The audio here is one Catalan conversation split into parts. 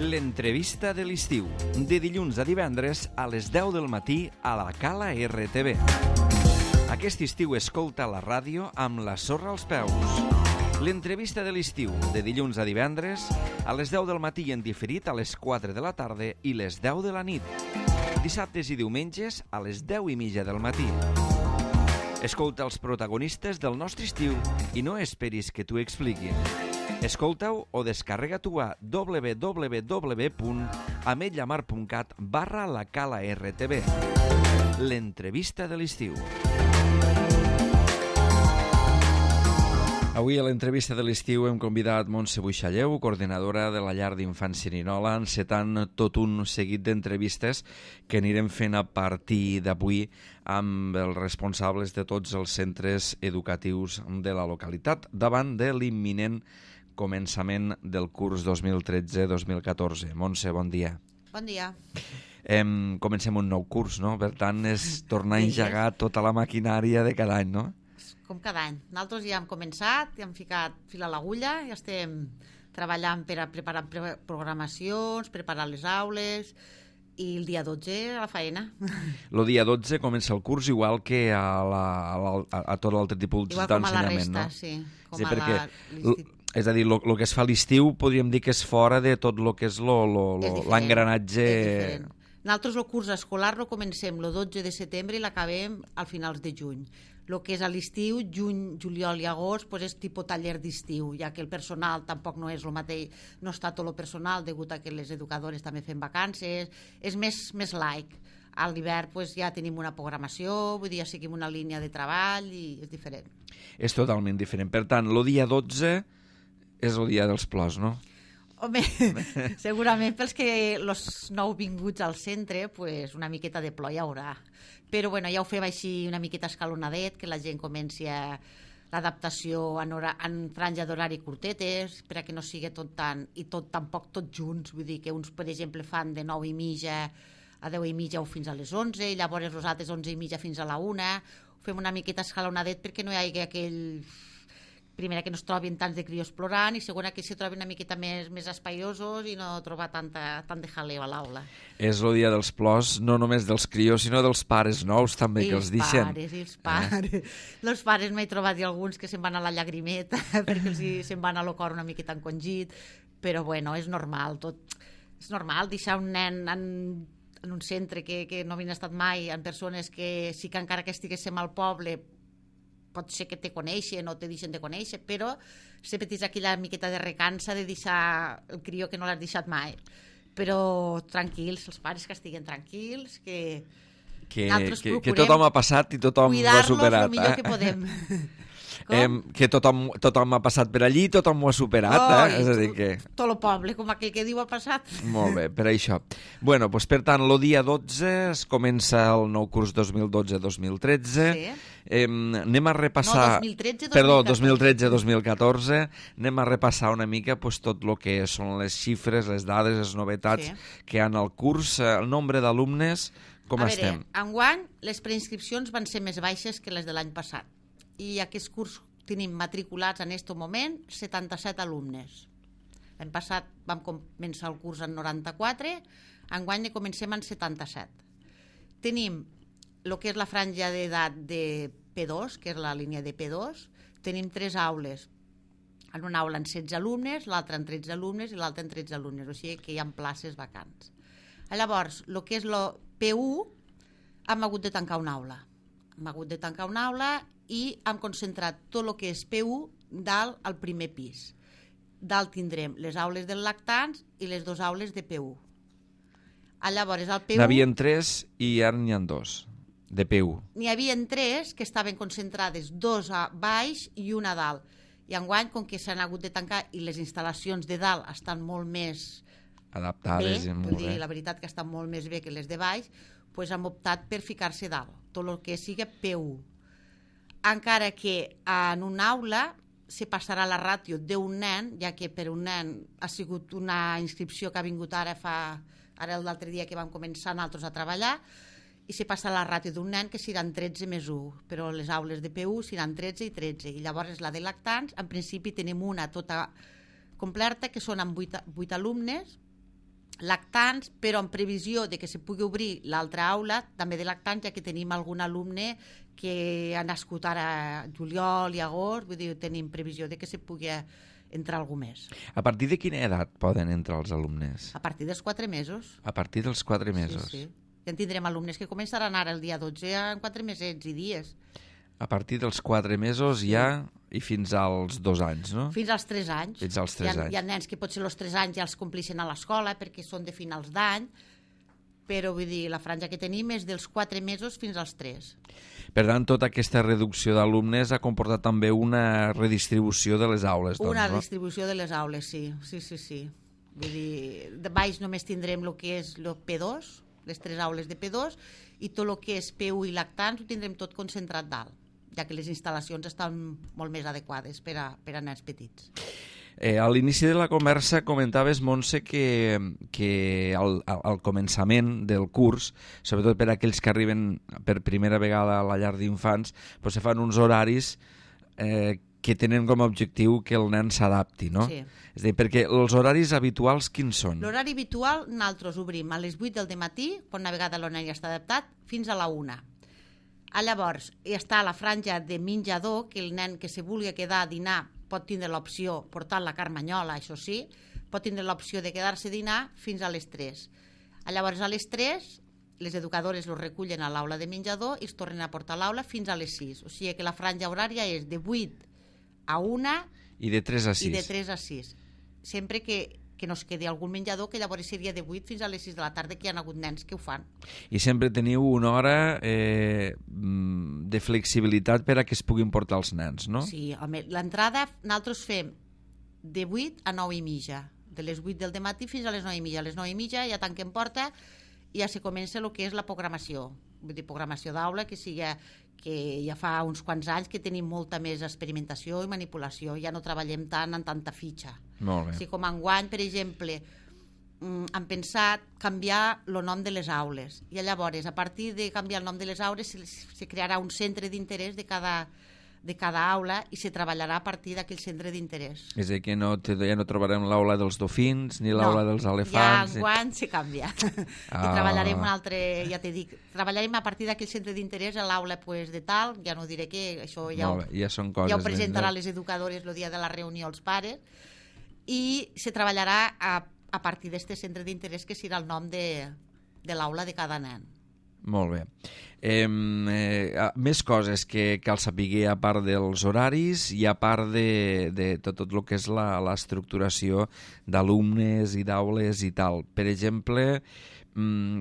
L'entrevista de l'estiu, de dilluns a divendres a les 10 del matí a la Cala RTV. Aquest estiu escolta la ràdio amb la sorra als peus. L'entrevista de l'estiu, de dilluns a divendres a les 10 del matí en diferit a les 4 de la tarda i les 10 de la nit. Dissabtes i diumenges a les 10:30 del matí. Escolta els protagonistes del nostre estiu i no esperis que t'ho expliquin. Escolta-ho o descarrega-t'ho a www.ametlllamar.cat/la Cala RTV. L'entrevista de l'estiu. Avui a l'entrevista de l'estiu hem convidat Montse Buixalleu, coordinadora de la llar d'infants Sirinola, encetant tot un seguit d'entrevistes que anirem fent a partir d'avui amb els responsables de tots els centres educatius de la localitat davant de l'imminent començament del curs 2013-2014. Montse, bon dia. Bon dia. Comencem un nou curs, no? Per tant, és tornar a engegar tota la maquinària de cada any, no? Com cada any. Nosaltres ja hem començat, ja hem ficat fil a l'agulla, ja estem treballant per a preparar programacions, preparar les aules i el dia 12 a la faena. El dia 12 comença el curs igual que a tot l'altre tipus d'ensenyament, no? Igual com a la resta, sí. És a dir, el que es fa a l'estiu podríem dir que és fora de tot el que és l'engranatge. És diferent. Nosaltres el curs escolar lo comencem el 12 de setembre i l'acabem al finals de juny. El que és a l'estiu, juny, juliol i agost, doncs és tipus taller d'estiu, ja que el personal tampoc no és el mateix, no està tot el personal, degut a que les educadores també fem vacances, és més laic. A l'hivern doncs, ja tenim una programació, vull dir, ja seguim una línia de treball i és diferent. És totalment diferent. Per tant, el dia 12 és el dia dels plors, no? Home, segurament pels que els nouvinguts al centre, pues una miqueta de plor hi haurà. Però bueno, ja ho fem així una miqueta escalonadet, que la gent comenci a l'adaptació en franja d'horari curtetes, per a que no sigui tot tant, i tampoc tots junts, vull dir que uns, per exemple, fan de 9:30 a 10:30 o fins a les 11, i llavors els altres 11:30 fins a la 1, ho fem una miqueta escalonadet perquè no hi hagi aquell... Primera, que no es trobin tants de crios plorant, i segona, que se trobin una miqueta més espaiosos i no trobar tant de jaleo a l'aula. És el dia dels plors, no només dels crios, sinó dels pares nous també, que els deixen. Els pares. Els pares m'he trobat alguns que se'n van a la llagrimeta perquè se'n van a lo cor una miqueta encongit, però bueno, és normal, tot. És normal deixar un nen en un centre que no havien estat mai, en persones que sí que encara que estiguéssim al poble pot ser que te coneixen o te deixen de conèixer, però sempre tens aquella miqueta de recança de deixar el crió que no l'has deixat mai. Però tranquils, els pares que estiguen tranquils, que tothom ha passat i tothom ho ha superat. Cuidar-los el millor que podem. Que tothom ha passat per allí i tothom ho ha superat, és a dir que... Tot el poble, com aquell que diu, ha passat. Molt bé, per això. Bueno, doncs per tant, el dia 12 es comença el nou curs 2012-2013. Sí. Anem a repassar... No, 2013-2014. Perdó, 2013-2014. Anem a repassar una mica tot el que són les xifres, les dades, les novetats que hi ha al curs, el nombre d'alumnes, com estem? A veure, enguany les preinscripcions van ser més baixes que les de l'any passat. I aquest curs tenim matriculats en aquest moment 77 alumnes. L'any passat vam començar el curs en 94, enguany comencem en 77. Tenim el que és la franja d'edat de P2, que és la línia de P2, tenim 3 aules. En una aula en 16 alumnes, l'altra en 13 alumnes i l'altra en 13 alumnes, o sigui que hi ha places vacants. Llavors, el que és el P1, hem hagut de tancar una aula. I hem concentrat tot el que és P1 dalt al primer pis. Dalt tindrem les aules dels lactants i les 2 aules de P1. Llavors, al P1... N'havien 3 i ara n'hi ha 2 de P1. N'hi havia 3 que estaven concentrades, 2 a baix i una a dalt. I enguany, com que s'han hagut de tancar i les instal·lacions de dalt estan molt més adaptades, bé, vull dir, la veritat que estan molt més bé que les de baix, doncs hem optat per ficar-se dalt, tot el que sigui P1. Encara que en una aula se passarà la ràtio d'un nen, ja que per un nen ha sigut una inscripció que ha vingut ara l'altre dia que vam començar nosaltres a treballar, i se passa la ràtio d'un nen que seran 13 més 1, però les aules de P1 seran 13 i 13, i llavors la de lactants, en principi tenim una tota completa, que són amb 8 alumnes, lactants, però en previsió de que se pugui obrir l'altra aula, també de lactants, ja que tenim algun alumne que ha nascut ara juliol i agost, vull dir, tenim previsió de que se pugui entrar algú més. A partir de quina edat poden entrar els alumnes? A partir dels 4 mesos. A partir dels 4 mesos. Sí. Ja en tindrem alumnes que començaran ara el dia 12 en 4 mesets i dies. A partir dels 4 mesos ja i fins als 2 anys, no? Fins als 3 anys. Fins als 3 anys. Hi ha nens que potser els 3 anys ja els complixen a l'escola perquè són de finals d'any, però vull dir, la franja que tenim és dels 4 mesos fins als 3. Per tant, tota aquesta reducció d'alumnes ha comportat també una redistribució de les aules, doncs, Una no? redistribució de les aules, sí. Vull dir, de baix només tindrem el que és el P2, les 3 aules de P2, i tot el que és P1 i lactants ho tindrem tot concentrat dalt, ja que les instal·lacions estan molt més adequades per a nens petits. A l'inici de la conversa comentaves, Montse, que al començament del curs, sobretot per a aquells que arriben per primera vegada a la llar d'infants, doncs se fan uns horaris que tenen com a objectiu que el nen s'adapti, no? Sí. És a dir, perquè els horaris habituals quins són? L'horari habitual nosaltres obrim a les 8 del matí, quan una vegada el nen ja està adaptat, fins a la 1. Llavors, està la franja de menjador, que el nen que se vulgui quedar a dinar pot tindre l'opció, portant la carmanyola, això sí, pot tindre l'opció de quedar-se a dinar fins a les 3. Llavors, a les 3, les educadores els recullen a l'aula de menjador i es tornen a portar a l'aula fins a les 6. O sigui que la franja horària és de 8 a 1 i de 3 a 6. I de 3 a 6. Sempre que no es quedi algun menjador, que llavors seria de 8 fins a les 6 de la tarda, que hi ha hagut nens que ho fan. I sempre teniu una hora de flexibilitat per a que es puguin portar els nens, no? Sí, home, l'entrada nosaltres fem de 8 a 9 i mitja, de les 8 del matí fins a les 9 i mitja. A les 9 i mitja ja tanquem porta i ja se comença el que és la programació. Vull dir, programació d'aula, que ja fa uns quants anys que tenim molta més experimentació i manipulació, ja no treballem tant en tanta fitxa. Molt bé. O sigui, com enguany, per exemple, han pensat canviar el nom de les aules, i llavors, a partir de canviar el nom de les aules, se crearà un centre d'interès de cada aula i se treballarà a partir d'aquell centre d'interès. És a dir, que ja no trobarem l'aula dels dofins ni l'aula dels elefants. Ja enguany se canvia. I treballarem un altre, ja t'he dit, treballarem a partir d'aquell centre d'interès a l'aula de tal, ja no diré què, això ja són coses, ja ho presentaran les educadores el dia de la reunió als pares, i se treballarà a partir d'aquest centre d'interès que serà el nom de l'aula de cada nen. Molt bé. Més coses que cal saber a part dels horaris i a part de tot el que és l'estructuració d'alumnes i d'aules i tal. Per exemple,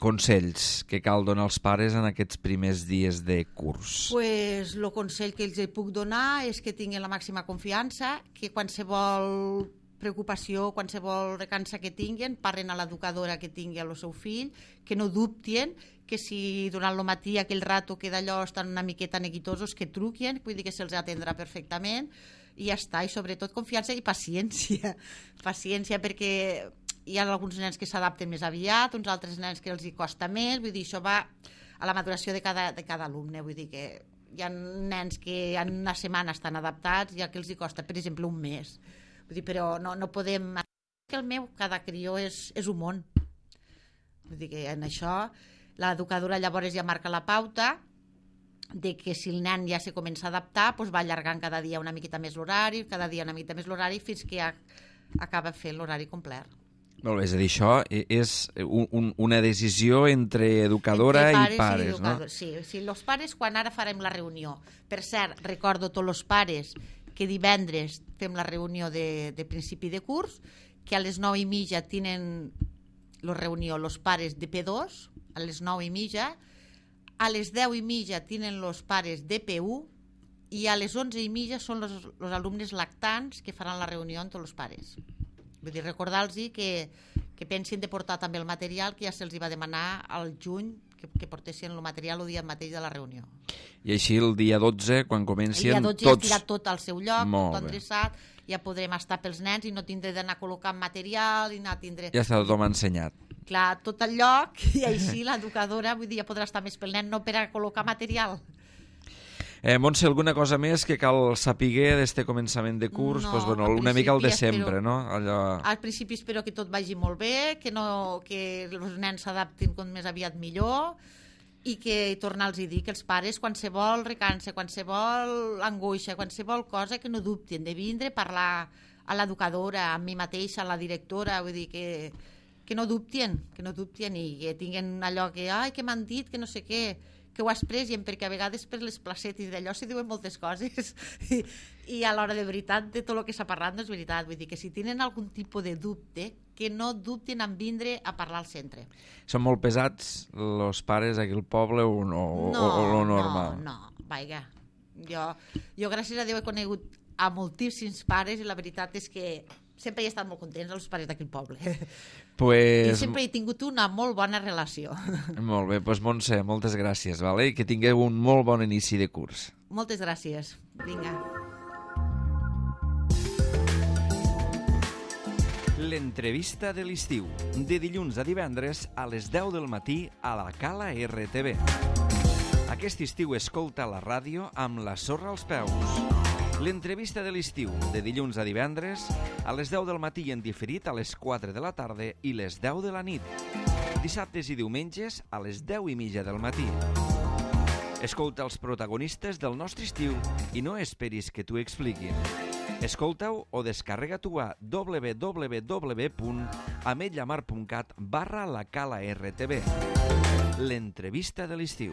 consells que cal donar als pares en aquests primers dies de curs. Pues el consell que els puc donar és que tinguin la màxima confiança, que qualsevol preocupació, qualsevol recança que tinguin, parlen a l'educadora que tingui el seu fill, que no dubtin, que si durant el matí aquell rato que d'allò estan una miqueta neguitosos, que truquin, vull dir que se'ls atendrà perfectament, i ja està, i sobretot confiança i paciència. Paciència, perquè hi ha alguns nens que s'adapten més aviat, uns altres nens que els hi costa més, vull dir, això va a la maduració de cada alumne, vull dir que hi ha nens que en una setmana estan adaptats i a que els hi costa, per exemple, un mes. Vull dir, però no podem... Que el meu, cada crió és un món. Vull dir que en això l'educadora llavors ja marca la pauta de que si el nen ja se comença a adaptar, doncs va allargant cada dia una miqueta més l'horari, fins que ja acaba fent l'horari complet. Molt bé, és a dir, això és una decisió entre educadora i pares, no? Sí, els pares, quan ara farem la reunió, per cert, recordo tots els pares que divendres fem la reunió de principi de curs, que a les 9 i mitja tenen la reunió els pares de P2, a les 9 i mitja, a les 10 i mitja tenen els pares de P1 i a les 11 i mitja són els alumnes lactants que faran la reunió amb tots els pares. Vull dir, recordar-los que pensin de portar també el material que ja se'ls va demanar al juny, que portessin el material el dia mateix de la reunió. I així el dia 12, quan comencin el dia 12 tots... ja estirà tot al seu lloc, tot endreçat, ja podrem estar pels nens i no tindré d'anar col·locant material i anar a tindre... Ja està tothom ensenyat. Clar, tot el lloc, i així l'educadora, vull dir, ja podrà estar més pel nen, no per a col·locar material. Montse, alguna cosa més que cal saber d'este començament de curs? No, Pues, bueno, una mica el de sempre, no? Allò... Al principi espero que tot vagi molt bé, que els nens s'adaptin com més aviat millor i que tornar-los a dir que els pares qualsevol recança, qualsevol angoixa, qualsevol cosa que no dubtin de vindre a parlar a l'educadora, a mi mateixa, a la directora, vull dir que no dubtin i que tinguin allò que, ai, que m'han dit, que no sé què, que ho expressin, perquè a vegades per les placetes d'allò s'hi diuen moltes coses i a l'hora de veritat de tot el que s'ha parlat no és veritat, vull dir que si tenen algun tipus de dubte que no dubtin en vindre a parlar al centre. Són molt pesats els pares aquí al poble o lo normal? No, vaja. Jo gràcies a Déu he conegut a moltíssims pares i la veritat és que sempre he estat molt contents els pares d'aquí al poble. I sempre he tingut una molt bona relació. Molt bé, doncs Montse, moltes gràcies, vale? I que tingueu un molt bon inici de curs. Moltes gràcies. Vinga. L'entrevista de l'estiu, de dilluns a divendres a les 10 del matí a la Cala RTV. Aquest estiu escolta la ràdio amb la sorra als peus. L'entrevista de l'estiu, de dilluns a divendres, a les 10 del matí en diferit a les 4 de la tarda i les 10 de la nit. Dissabtes i diumenges a les 10:30 del matí. Escolta els protagonistes del nostre estiu i no esperis que t'ho expliquin. Escolta-ho o descarrega-t'ho a www.ametlllamar.cat/la Cala RTV. L'entrevista de l'estiu.